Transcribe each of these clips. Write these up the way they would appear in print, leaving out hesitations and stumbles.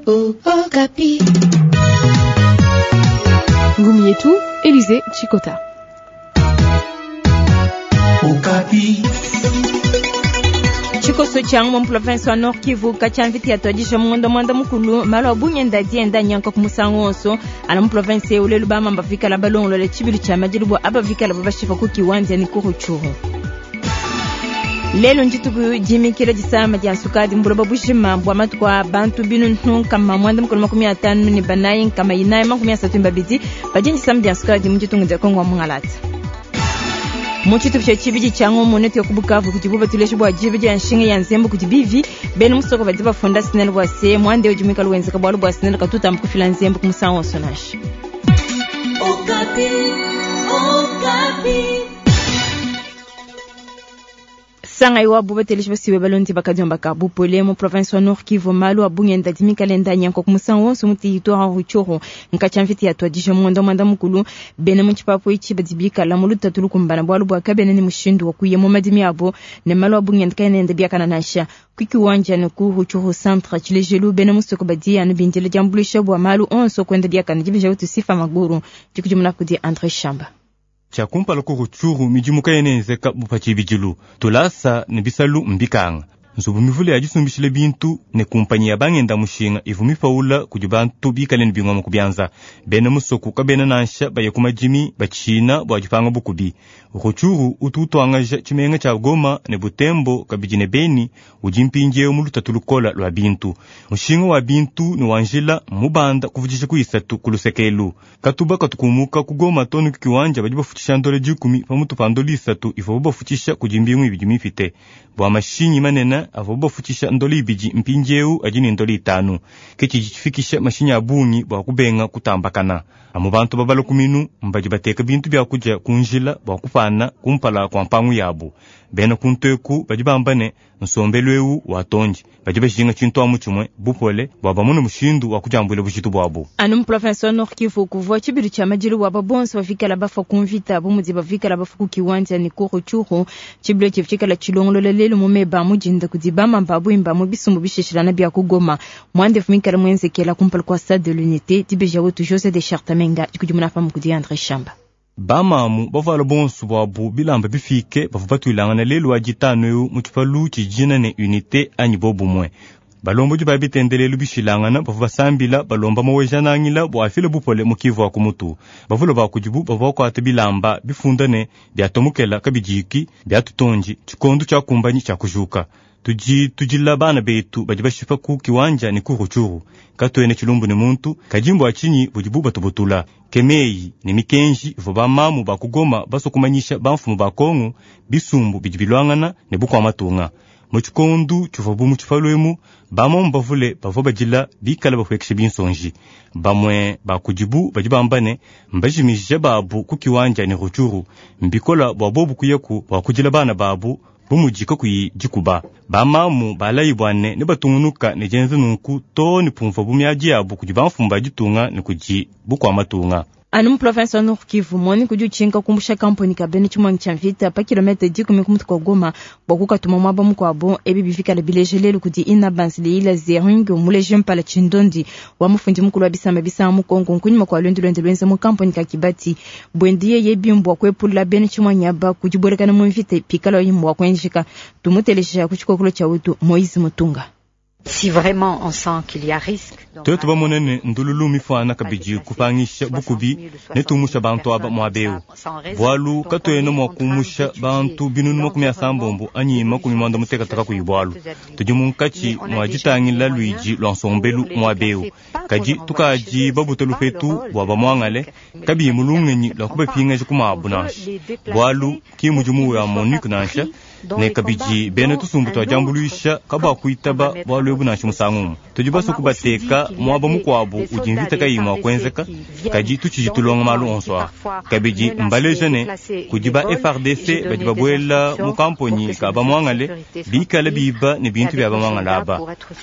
Okapi. Ngumi yetu, Elise Chikota. Okapi. Tshikoso tshia mu province wa Nord Kivu katshia mvita yatuadija mu ngondo mwanda mukulu malu a bungenda adi enda anyanka ku musangu wonso ana mu province eu lelu bamamba vikala balongolola tshibilu tshia madilu bua aba vikala babashipa ku Kiwanja ne ku Rutshuru. Lelu ndituku dimikila disama dia nsukadi mu buloba bujima bua matuku a bantu binunu 154 432 badi ne disama dia nsukadi mu ditunga dia Kongo wa mungalata. Mu tshitupa tshia tshibidi tshia ngumu netu ya ku Bukavu kudibu batuleja bua diba dia nshinga ya nzembu kudi bivi bena musoko badi bafunda SNEL bua se muanda udi muikale wenzeka bualu bua SNEL katutamba kufila nzembu ku musangu wonso nansha. Okapi, Okapi. Sangai wa bubateleji basiwe balondi bakadiomba ka bupole mu province wa Nord Kivu malu a bungenda dimikalenda nyanko ku musangu wonso mu territoire wa Rutshuru nkatshia mvita yatuadija mu ngondo mwanda mukulu bena mu tshipapu itshi badi bikala mu lutatu lukumbana bualu bua kabena ne mushindu wa kuya mu madimi abo ne malu a bungenda kaena enda biakana nansha ku Kiwanja ne ku Rutshuru centre tshilejelu bena musoko badi anu bindila diambuluisha bua malu onso kuenda biakana dibeja utu Sifa Maguru dikudimuna kudi André Shamba. Tshia kumpala ku Rutshuru midimu kayena yenzeka bu pa tshibidilu, tulasa ne bisalu mbikanga, nzubu mivule ya disumbishila bintu ne kumpanyi ya bangenda mushinga ivua mipaula kudi bantu bikale ne bingoma ku bianza. Bena musoko kabena nansha baya ku madimi batshina bua dipanga bukubi. Rutshuru utu utuangaja tshimenga tshia Goma ne Butembo kabidi ne Beni udi mpindieu mu lutatu lukola lua bintu. Mushinga wa bintu ne wa njila mmubanda kuvudija ku isatu ku luseke elu. Katuba katu kumuka ku Goma too ne ku Kiwanja badi bafutshisha ndola dikumi pamutu pa ndola isatu ivuabu bafutshisha kudi mbingu ibidi mipite. Bua mashinyi manene avuabu bafutshisha ndola ibidi mpindieu adi ne ndola itanu. Ke tshidi tshifikisha mashinyi a bungi bua kubenga kutambakana. Amu bantu babala ku minu mbadi bateka bintu bia kudia ku njila bua kupana kumpala kua mpangu yabu. Bena kuntu eku badi bamba ne, nsombelu eu watondi. Badi bajinga tshintu amu tshimue, bupole, bua bamone mushindu wa kudiambuila bujitu buabu. Anu mu province wa Nord Kivu kuvua tshibilu tshia madilu bua bonso bavikala bafua ku mvita bu mudi bavikala bafua ku Kiwanja ne ku Rutshuru. Tshibilu etshi tshikala tshilongolola lelu mu meba a mudinda kudi bamamba buimba mu bisumbu bishishilana bia ku Goma. Muandefu muikala muenzekela kumpala kua Stade de l'Unité, dibeja wetu José de Chartamenga dikudimuna pamue kudi André Shamba. Bamamu bavuala bonso buabu bilamba bifike bavua batuilangana lelu wa ditanu eu mu tshipalu tshidina ne Unité anyi bobumue. Balombodi ba bitendelelu bishilangana bavua basambila balomba Maweja-Nangila bua afile bupole mu Kivu wa ku mutu. Bavule ba kudibu bavua bakuata bilamba bifunda ne biatomokela kabidiki biatutondi tshikondo tshiakumbanyi tshia kujuka. Tudi tudila bana betu badi bashipa ku Kiwanja ne ku Rutshuru. Katuena tshilumbu ne muntu, kadi mbua tshinyi budibu batubutula? Ke meyi ne mikenji ivua bamamu ba ku Goma basua kumanyisha bamfumu ba Kongo, bisumbu bidi biluangana ne bukua matunga. Mu tshikondu tshivuabu mu tshipalu emu, bamamu bavule bavua badila bikale bapuekesha binsonji. Bamue ba kudibu badi bamba ne, mbajimija babu ku Kiwanja ne Rutshuru. Mbikola bua bobu kuyaku bua kudila bana babu bu mudi kakuyi dikuba. Bamamu balayi bua ne nebatungunuka ne dienza nunku too ne pumvuabu miadi yabu kudi bamfumu ba ditunga ne kudi bukua matunga. Anu mu province wa Nord Kivu, MONUC udi utshinka kumbusha kamponi ka bena tshimuangi tshia mvita pa kilomètre dikumi ku mutu kua Goma bua kukatuma muaba mukuabu. Ebi bivikala bileja lelu kudi Ina Banzleila Zering, muleji mpala tshindondi wa mufundi mukulu wa bisamba bisanga mu Kongo nkunyima kua luendu luende luenza mu kamponi ka Kibati. Buende yeye bimbu bua kuepula bena tshimuangi aba ku dibuelakana mu mvita pikala mua kuenzeka. Tumuteleja ku tshikokolo tshia wetu Moïse Mutunga. Si vraiment on sent qu'il y a risque, donc Tuetu bamone ne ndululu mifuana kabidi kupangisha bukubi ne tumusha bantu aba muaba eu. Bualu katuena mua kumusha bantu binunu makumi asambombo anyi makumi muanda mutekete kakuyi bualu. Tudi munkatshi mua ditangila luidi lua nsombelu muaba eu. Kadi tukadi babuta lupetu bua bamuangale, kabiyi mu lungenyi lua kubapingaja ku mabu nansha. Bualu ki mudimu wa MONUC nansha, ne kabidi bena tusumbu tua diambuluisha kabakuitaba bualu ebu nansha musangu umue. Tudi basue kubateka muaba mukuabu udi mvita kayiyi mua kuenzeka, kadi tutshidi tulonga malu onso aa. Kabidi mbaleja ne kudi ba FARDC badi babuela mu kamponyi ka bamuangale bikale biba ne bintu bia bamuangale aba.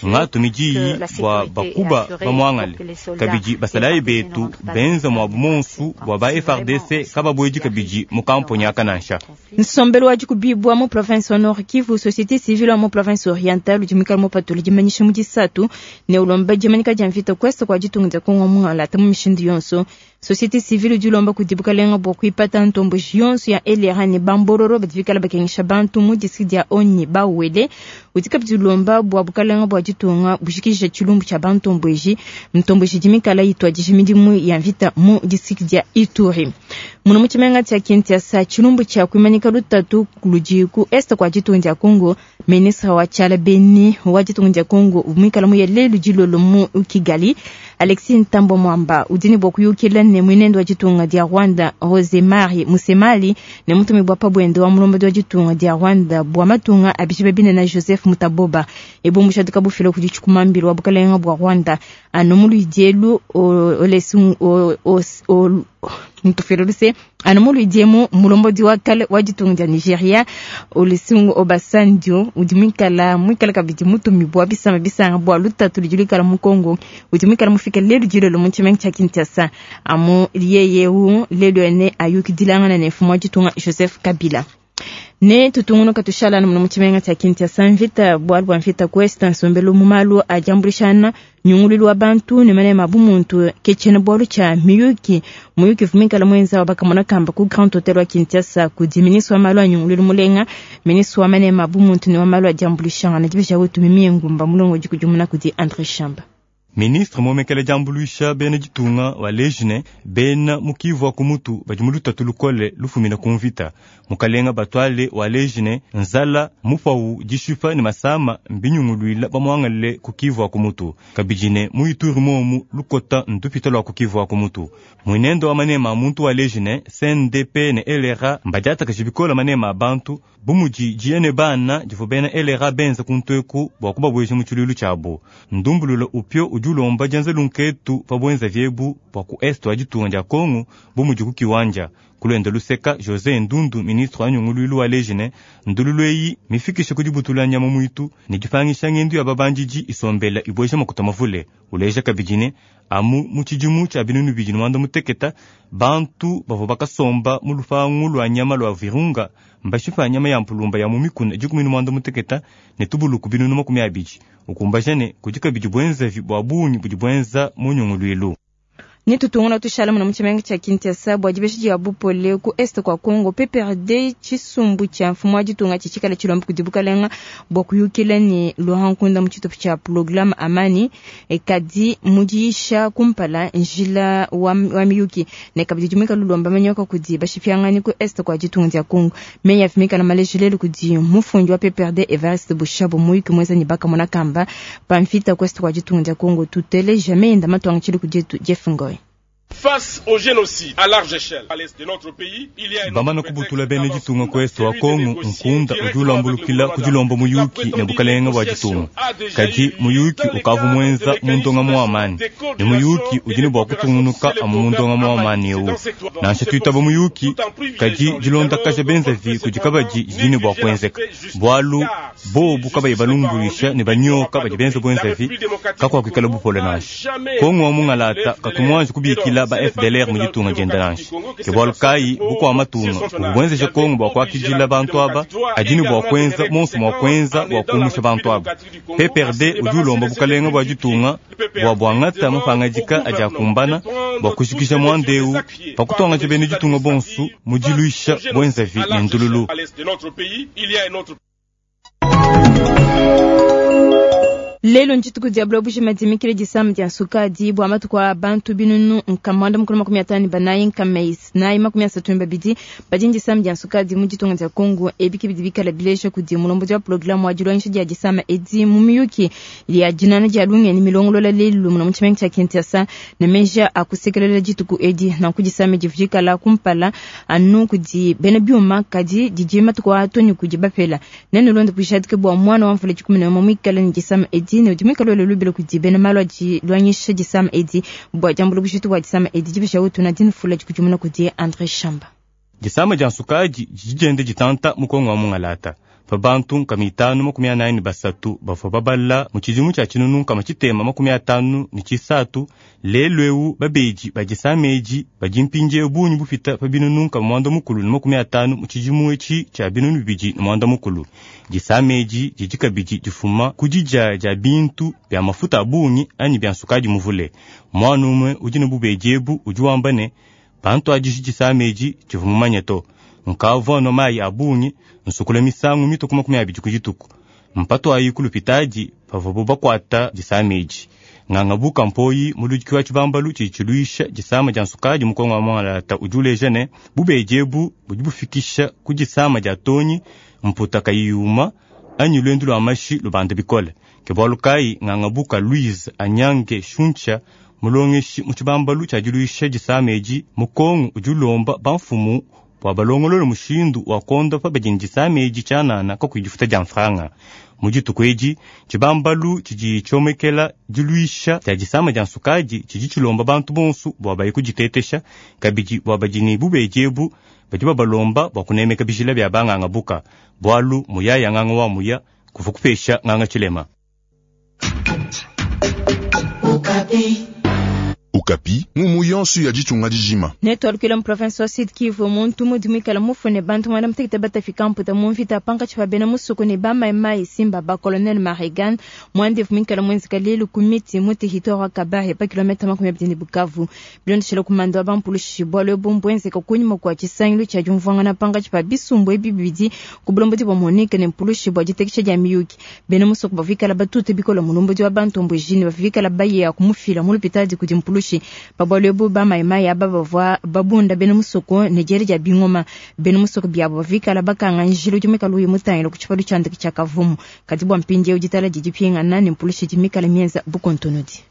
Ngatumi diyi bua bakuba bamuangale, kabidi basalayi betu benza muabu monsu bua ba FARDC kababuedi kabidi mu kamponyi aka nansha. Nsombelu wa dikubibua mu province wa Nord Kivu, société civile wa mu province orientale udi muikale mupatula dimanyisha mu disatu ne ulomba dimanyika dia mvita ku est kua ditunga dia Kongo mungala mu mishindu yonso. Société civile udi ulomba kudi bukalenga bua kuipata ntomboji yonso ya LRA ne bambororo badi bikala bakengesha bantu mu district dia Onyi Bawele. Udi kabidi ulomba bua bukalenga bua ditunga bujikija tshilumbu tshia bantomboji ntomboji dimikala ituadija midimu ya mvita mu district dia Ituri. Muno mu tshimenga tshia Kinshasa, tshilumbu tshia kuimanyika lutatu ludi ku est kua ditunga dia Congo. Ministre wa tshiala beni wa ditunga dia Congo muikala muye lelu dilolo mu Kigali, Alexis Ntambwe Mwamba udi ne bua kuyukila ne muinende wa ditunga dia Rwanda Rosemary Musemali ne mutumi bua pabwende wa mulombodi wa ditunga dia Rwanda bua matunga abishibe binene Joseph Mutaboba. Ebumbusha bufila kudi tshikumambilo wa bukalenga bua Rwanda anu mu luidielu ntufela anu mu luidiemu mulombodi wa kale wa ditunga dia Nigeria Olusegun Obasanjo udi muikala kabidi mutumi bua bisamba bisanga bua lutatu ludi luikala mu Congo udi muikala mufike lelu dilolo mu tshimenga tshia Kinshasa amu yeyeu lelu ene ayukidilangana ne mfumu wa ditunga Joseph Kabila. Ne tutungunuka tushalana muno mu tshimenga tshia Kinshasa mvita bualu bua mvita ku est nsombelu mu malu a diambulishana nyungululu wa bantu ne manema bumuntu ke tshiena bualu tshia miyuki muyuki vumikala mwenza wa bakamona kamba ku Grand Hotel wa Kinshasa kudi ministre wa malu a nyungululu mulenga ministre wa manema bumuntu ne wa malu a diambulishana dibisha wetu mimie ngumba mulongo dikudimuna kudi André Shamba. Ministre momekele diambuluisha bena ditunga wa lejine bena mukivu wa kumutu badi mu lutatu lukole lufumina ku mvita mukalenga batwale wa lejine nzala mupau dishipa ne masama mbinyunguluila bamuangalile ku kivu wa kumutu kabidine mu Ituri momu lukota ndupita lua ku kivu wa kumutu muinendo wa manema a muntu wa lejine CNDP ne LRA mbadiatakaji bikola manema a bantu bumudi diene bana divu bena LRA benza kuntueku bua kubabweja mu tshilulu tshiabu ndumbulula upyo udi ulomba dianza lunketu pa bwenza vyebu bua ku est wa ditunga dia Kongo bumudi ku kiwanja kulwenda luseka José Ndundu ministre wa nyunguluilu wa lejine ndululu eyi mifikishe ku dibutula nyama mwitu ne dipangisha ngendu ya babandidi isombela ibweja makuta mavule uleja kabidine amu mu tshidimu tshia binunu bidi mwanda muteketa bantu bavua bakasomba mu lupangu lwa nyama lwa Virunga mbashipa nyama ya mpulumba ya mu mikuna 18 ne tubuluku binunu 20 ukumbajane kudi kabidi bwenzavi bwa bungi budi bwenza mu nyunguluilu. Ni tutunguna tushala muna mutshimenga tshia Kinshasa bua dibeshi dia bupole ku est kwa Congo PPRD tshisumbu tshia mfumu wa ditunga tshitshikala tshilomba kudi bukalenga bua kuyukila ne Laurent Nkunda mu tshitupa tshia programme Amani kadi mudiisha kumpala njila wa miyuki ne kabidi dimika lulomba manyoka kudi bashipianganyi ku est kwa ditunga dia Congo meya afimika na malejilelu kudi mufundi wa PPRD Evariste Boshab muyuki mweza ni bakamona kamba pamfita ku est kwa ditunga dia Congo tutele jamais inda matwanga tshili kudietu Jeff Ngoy. Face au génocide à large échelle à l'est de notre pays, il y a un bamana kubutula bene ditunga ku est wa Kongo nkunda udi ulambulukila kudilomba muyuki ne bukalenga bua ditunga kadi muyuki ukavu mwenza mundonga mu amani ne muyuki udi ne bua kutungunuka amu mundonga mu amani eu nansha tuitaba muyuki kadi dilondakaja benzavi kudi kabadi didi ne bua kuenzeka bualu bobu kabayi balumbulisha ne banyoka badi benza bwenzavi kakuakuikala bupole nansha Kongo wa mungalata katumwanji kubikila ba FDLR mu ditunga dienda nansha ke bualu kayi bukua matunga bubwenzesha Kongo bua kuakidila bantu aba adi ne bua kuenza monso mua kuenza bua kumusha bantu aba PPRD udi ulomba bukalenga bua ditunga bua buangata mapangadika adi akumbana bua kushikisha muandeu pa kutuangaja bene ditunga bonsu mu diluisha bwenzavi ne ndululu. Lelo ntshituku dia buloba madimikile disama dia nsukadi bua matuku a bantu binunu nkamanda mukulu 54 nkamais 32 badi ndisama dia nsukadi mu ditunga dia Congo ebiki bidi bikala bileja kudi mulombodi wa programme wa dilongesha dia disama edi mu miyuki ya dinana dia lungeni milongolola lelu muno mu tshimenga tshia Kinshasa ne meja akusekelela dituku edi nanku disama divujikala kumpala anu kudi bena biuma kadi didi matuku a toni kudi bapela nene londe kujadike bua mwana wa mvula 11 muikala ne disama edi ne udi muikala lubilo kudi bena malu adi lwanyisha disama edi bua diambula bujitu bua disama edi dibisha wetu na dinfula dikudimuna kudi André Shamba. Disama dia nsukadi didi dienda ditanta mu Kongo wa mungalata. Pa bantu 543 bavua babala mu tshidimu tshia 1653, lelu eu babedi ba disama edi badi mpindieu bungi bupita pa 950 mu tshidimu etshi tshia 2016. Disama edi didi kabidi difuma ku didia dia bintu bia mafuta a bungi anyi bia nsukadi muvule. Muana umue udi ne bubedi ebu udi wamba ne, Pantuadiji disama edi tshivua mumanye to. Nkavua nnua mayi a bungi, nsukula misangu mitue ku 20 ku dituku. Mpatuayi ku lupitadi pavuabu bakuata disama edi. Nganga Buka Mpoyi, muludiki wa tshibambalu tshidi tshiluisha disama dia nsukadi mu Kongo wa Mwangalata udi uleja ne, bubedi ebu budi bufikisha ku disama dia tonyi, mputa kayiyi yuma anyi luendu lua mashi lubanda bikole. Ke bualu kayi Nganga Buka Louise Anyange Shuntsha, mulongeshi mu tshibambalu tshia diluisha disama edi mu Kongo udi ulomba bamfumu bua balongolole mushindu wa kuondopa badi ne disama edi tshianana kakuyi difuta dia mfranga. Mu dituku edi, tshibambalu tshidi tshiomekela diluisha dia disama dia nsukadi tshidi tshilomba bantu bonso bua baye kuditetesha, kabidi bua badi ne bubedi ebu badi babalomba bua kunemeka bijila bia banganga buka, bualu muyaya nganga wa muya kuvua kupesha nganga tshilema. Okapi, ngumu yonso ya ditunga dijima. Netualukile mu province wa Sud Kivu, muntu mudi muikala mufue ne bantu muanda mutekete batafika mputa mu mvita pankatshi pa bena musoko ne ba mai mai Simba ba colonel Marigan. Muandevu muikala muenzeka lelu ku miti mu territoire wa Kabare pa kilomètre 20 ne Bukavu. Bilondeshile kumanda wa bampulushi, bualu ebu mbuenzeka kunyima kua tshisangilu tshia diumvuangana pankatshi pa bisumbu ebi bibidi ku bulombodi bua Monique ne mpulushi bua ditekesha dia miyuki. Bena musoko bavua bikala batute bikole mulombodi wa bantomboji ne bavua bikala baye kumufila mu lupitadi kudi mpulushi. Pa bualu ebu ba mayimayi aba bavua babunda bena musoko ne diela dia bingoma. Bena musoko biabo bavua bikala bakanga njila udi muikale uya mutangila ku tshipalu tshia ndeke tshia Kavumu. Kadi bua mpindieu ditala didi dipingana ne mpulushi idi mikale mienza bukontonodi.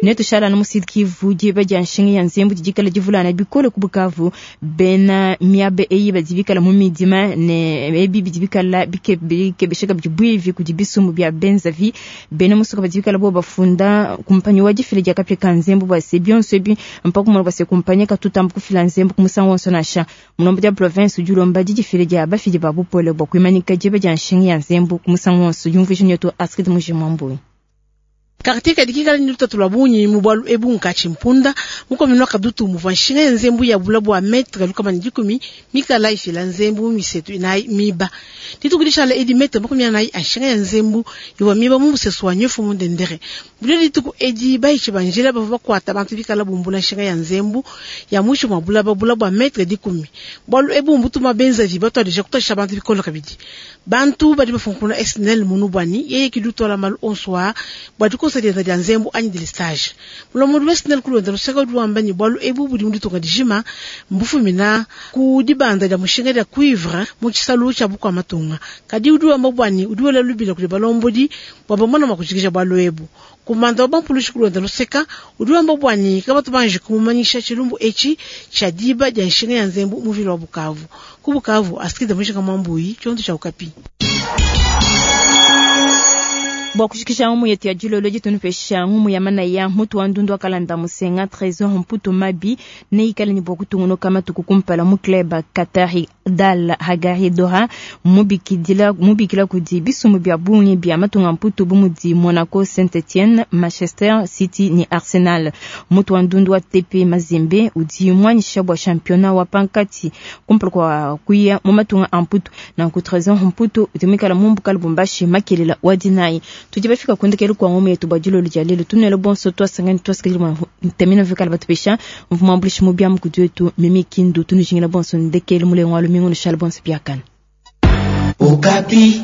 Netushala anu mu Sud Kivu, diba dia nshinga ya nzembu didi dikala divulana bikole ku Bukavu. Bena miaba eyi badi bikala mu midima ne ebi bidi bikala bikebesha kabidi buivi kudi bisumbu bia benzavi. Bena musoko badi bikala bo bafunda kumpanyi wa difila dia kapia ka nzembu bua se bionso ebi mpaka kumona bua se kumpanyi katutamba kufila nzembu ku musangu wonso nansha. Mulombodi wa province udi ulomba didifila dia bafidi ba bupole bua kuimanyika diba dia nshinga ya nzembu ku musangu wonso. Diumvuija nyetu Astrid Mujimwambui. Quartier kadi kikala ni lutatu lwa bungi mu bualu ebu nkatshi mpunda mu commune wa Kadutu muvua nshinga ya nzembu ya bula bua metre 110 mikala ifila nzembu misetu inayi miba. Dituku dishala edi metre 40 a nshinga ya nzembu ivua miba mu musesu wa nyofu mu Ndendere. Bulio dituku edi bayishi ba njila bavua bakuata bantu bikala bumbula nshinga ya nzembu ya mwisho mwa bulaba bula bua metre 10. Bualu ebu mbutuma benzavi batuadija kutosha bantu bikolo kabidi. Bantu badi bafunkuna SNL munubwani yeye kidutola malu onso a bua dikosa dienda dia nzembu anyi delestage. Mulombodi wa SNL kulonda luseka udi wamba ne bualu ebu budi mu ditunga dijima mbufumina ku dibanda dia mushinga dia cuivre mu tshisalu tshia bukua matunga. Kadi udi wamba bwani udi wela lubila kudi balombodi bua bamona mua kujikija bualu ebu. Kumanda wa bampulushi kulonda luseka udi wamba bwani kabatu banji kumumanyisha tshilumbu etshi tshia diba dia nshinga ya nzembu mu vila wa Bukavu. Ku Bukavu, Astrid Mujinga Mwambuyi, tshiondo tshia Okapi. Bua kushikisha ngumu yetu ya dilolo ditunupesha ngumu ya manaya mutu wa ndundu wa kalanda musenga Trésor Mputu Mabi ne ikale ne bua kutungunuka matuku kumpala mu club Qatari Dal Hagari Doha mubikila kudi bisumbu bia bungi bia matunga Mputu bu mudi Monaco, Saint-Etienne, Manchester City ne Arsenal. Mutu wa ndundu wa TP Mazembe udi mwanyisha bua championnat wa pankati kumpala kwa kuya mu matunga a Mputu. Nanku Trésor Mputu udi muikala mu mbuka Lubumbashi makelela wa dinayi. Tudi bafika kundekelu kwa ngumu yetu bua dilolo dia lelu. Tunele bonso twasangani twasikili mwa ntemina vikala batupesha mvuma mbulishi mu bia mukudi wetu Mimi Kindu tunujingila bonso ndekelu mulengo wa lumingu nushala bonso biakana. Okapi.